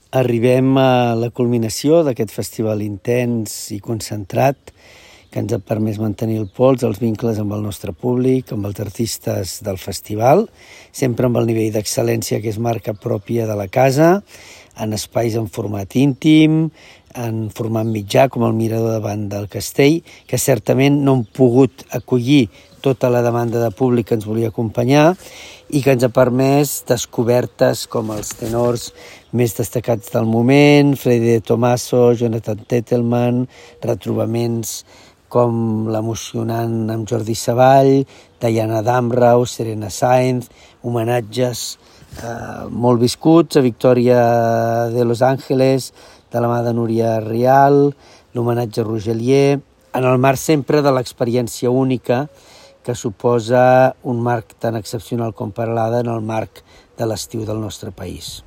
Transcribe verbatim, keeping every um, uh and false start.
Arribem a la culminació d'aquest festival intens i concentrat que ens ha permès mantenir el pols, els vincles amb el nostre públic, amb els artistes del festival, sempre amb el nivell d'excel·lència que és marca pròpia de la casa, en espais en format íntim, en format mitjà, com el Mirador davant del Castell, que certament no han pogut acollir tota la demanda de públic que ens volia acompanyar i que ens ha permès descobertes com els tenors més destacats del moment, Freddy De Tomaso, Jonathan Tettelman, retrobaments com l'emocionant amb Jordi Savall, Diana Damrau, Serena Sainz, homenatges eh, molt viscuts a Victòria de Los Ángeles, de la mà de Núria Rial, l'homenatge a Rogelier, en el marc sempre de l'experiència única que suposa un marc tan excepcional com Peralada en el marc de l'estiu del nostre país.